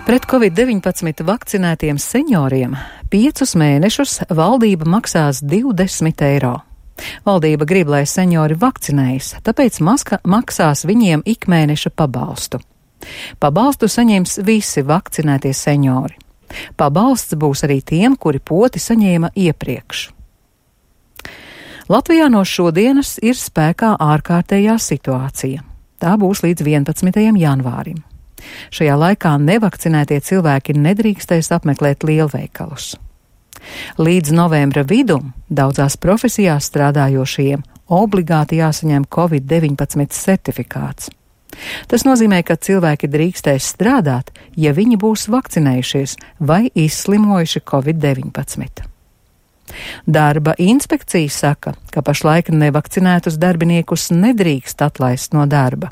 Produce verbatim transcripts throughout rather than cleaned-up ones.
Pret covid deviņpadsmit vakcinētiem senioriem piecus mēnešus valdība maksās divdesmit eiro. Valdība grib, lai seniori vakcinējas, tāpēc maska maksās viņiem ikmēneša pabalstu. Pabalstu saņems visi vakcinētie seniori. Pabalsts būs arī tiem, kuri poti saņēma iepriekš. Latvijā no šodienas ir spēkā ārkārtējā situācija. Tā būs līdz vienpadsmitajam janvārim. Šajā laikā nevakcinētie cilvēki nedrīkstēs apmeklēt lielveikalus. Līdz novembra vidum daudzās profesijās strādājošajiem obligāti jāsaņem covid deviņpadsmit certifikāts. Tas nozīmē, ka cilvēki drīkstēs strādāt, ja viņi būs vakcinējušies vai izslimojuši covid deviņpadsmit. Darba inspekcija saka, ka pašlaik nevakcinētus darbiniekus nedrīkst atlaist no darba.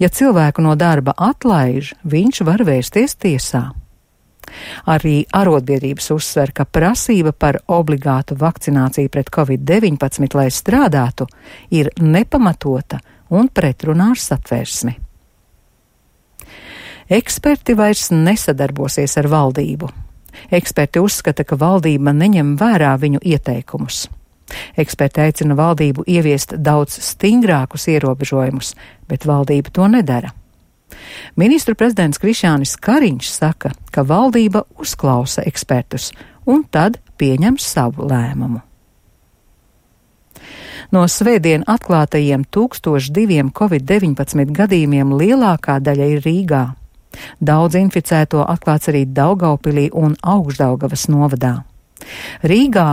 Ja cilvēku no darba atlaiž, viņš var vērsties tiesā. Arī arotbiedrības uzsver, ka prasība par obligātu vakcināciju pret covid deviņpadsmit, lai strādātu, ir nepamatota un pretrunā ar satversmi. Eksperti vairs nesadarbosies ar valdību. Eksperti uzskata, ka valdība neņem vērā viņu ieteikumus. Eksperti aicina valdību ieviest daudz stingrākus ierobežojumus, bet valdība to nedara. Ministru prezidents Krišjānis Kariņš saka, ka valdība uzklausa ekspertus un tad pieņem savu lēmumu. No svētdien atklātajiem tūkstoš diviem covid deviņpadsmit gadījumiem lielākā daļa ir Rīgā. Daudz inficēto atklāts arī Daugaupilī un Augšdaugavas novadā. Rīgā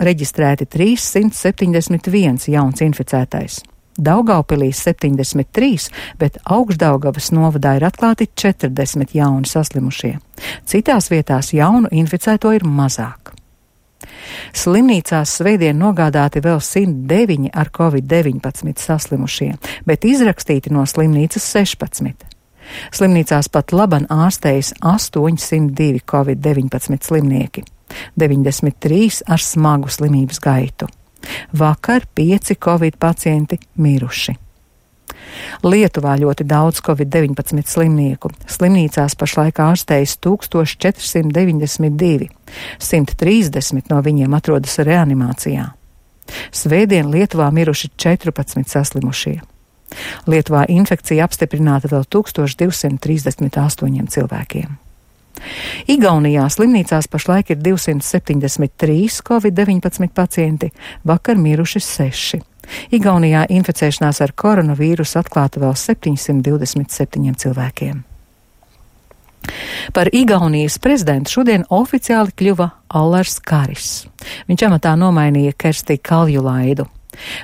reģistrēti trīssimt septiņdesmit viens jauns inficētais. Daugaupilī septiņdesmit trīs, bet Augšdaugavas novadā ir atklāti četrdesmit jauni saslimušie. Citās vietās jaunu inficēto ir mazāk. Slimnīcās svētdien nogādāti vēl simt deviņi ar covid deviņpadsmit saslimušie, bet izrakstīti no slimnīcas sešpadsmit. Slimnīcās pat laban ārstējas astoņsimt divi covid deviņpadsmit slimnieki, deviņdesmit trīs ar smagu slimības gaitu. Vakar pieci covid pacienti miruši. Lietuvā ļoti daudz covid deviņpadsmit slimnieku. Slimnīcās pašlaik ārstējas tūkstoš četri simti deviņdesmit divi, simt trīsdesmit no viņiem atrodas reanimācijā. Svētdien Lietuvā miruši četrpadsmit saslimušie. Lietuvā infekcija apstiprināta vēl tūkstoš divsimt trīsdesmit astoņiem cilvēkiem. Igaunijā slimnīcās pašlaik ir divsimt septiņdesmit trīs covid deviņpadsmit pacienti, vakar miruši seši. Igaunijā inficēšanās ar koronavīrusu atklāta vēl septiņsimt divdesmit septiņiem cilvēkiem. Par Igaunijas prezidentu šodien oficiāli kļuva Allars Karis. Viņš amatā nomainīja Kersti Kaljulaidu.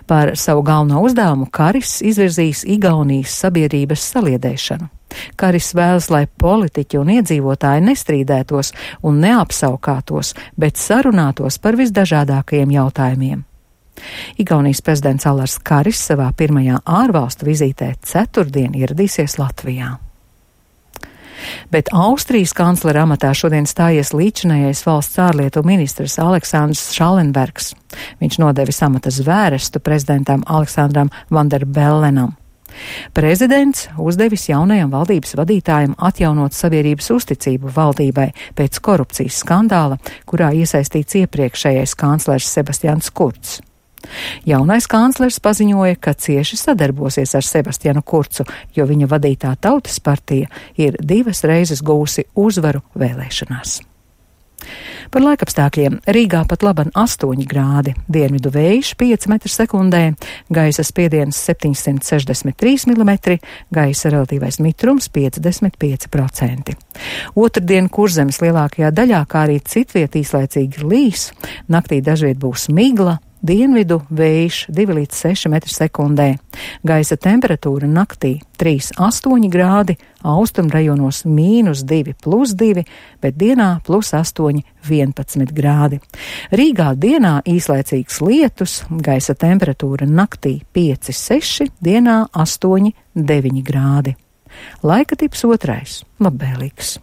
Par savu galveno uzdevumu Karis izvirzīs Igaunijas sabiedrības saliedēšanu. Karis vēlas, lai politiķi un iedzīvotāji nestrīdētos un neapsaukātos, bet sarunātos par visdažādākajiem jautājumiem. Igaunijas prezidents Allars Karis savā pirmajā ārvalstu vizītē ceturtdien ieradīsies Latvijā. Bet Austrijas kanclera amatā šodien stājies līdzinājais valsts ārlietu ministrs Aleksandrs Šallenbergs. Viņš nodevis amata zvērestu prezidentam Aleksandram Vanderbellenam. Prezidents uzdevis jaunajam valdības vadītājam atjaunot sabiedrības uzticību valdībai pēc korupcijas skandāla, kurā iesaistīts iepriekšējais kanclers Sebastians Kurcs. Jaunais kanclers paziņoja, ka cieši sadarbosies ar Sebastianu Kurcu, jo viņa vadītā Tautas partija ir divas reizes gūsi uzvaru vēlēšanās. Par laikapstākļiem Rīgā pat laban astoņi grādi, dienvidu vējš pieci metri sekundē, gaisa spiediens septiņsimt sešdesmit trīs milimetri, gaisa relatīvais mitrums piecdesmit pieci procenti. Otrdien Kurzemes lielākajā daļā, kā arī citviet īslaicīgi līs, naktī dažviet būs migla, dienvidu vējš divi līdz seši metri sekundē. Gaisa temperatūra naktī trīs astoņi grādi, austrumu rajonos mīnus divi plus divi, bet dienā plus astoņi vienpadsmit grādi. Rīgā dienā īslaicīgs lietus, gaisa temperatūra naktī pieci seši, dienā astoņi deviņi grādi. Laika tips otrais - labvēlīgs.